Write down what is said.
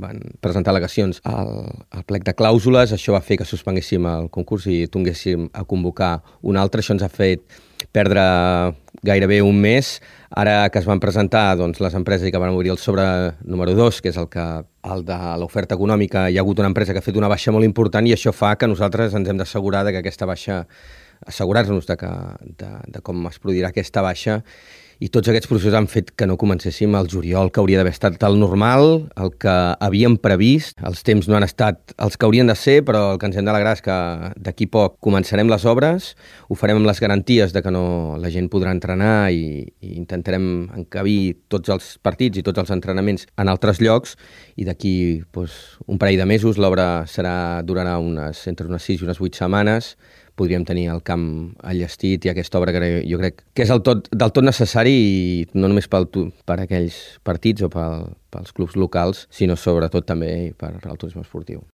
van presentar al·legacions al plec de clàusules, això va fer que suspenguéssim el concurs i tornéssim a convocar un altre. Això ens ha fet perdre gairebé un mes. Ara que es van presentar les empreses i que van obrir el sobre número 2, que és el de l'oferta econòmica, hi ha hagut una empresa que ha fet una baixa molt important i això fa que nosaltres ens hem d'assegurar que aquesta baixa, assegurar-nos de com es produirà aquesta baixa, i tots aquests processos han fet que no comencéssim al juliol, que hauria d'haver estat el normal, el que havíem previst. Els temps no han estat els que haurien de ser, però el que ens hem d'alegrar és que d'aquí poc començarem les obres, ho farem amb les garanties de que la gent podrà entrenar i intentarem encabir tots els partits i tots els entrenaments en altres llocs, i d'aquí un parell de mesos l'obra durarà entre unes 6 i unes 8 setmanes. Podríem tenir el camp enllestit i aquesta obra que jo crec que és del tot necessari, i no només per aquells partits o pels clubs locals, sinó sobretot també per al turisme esportiu.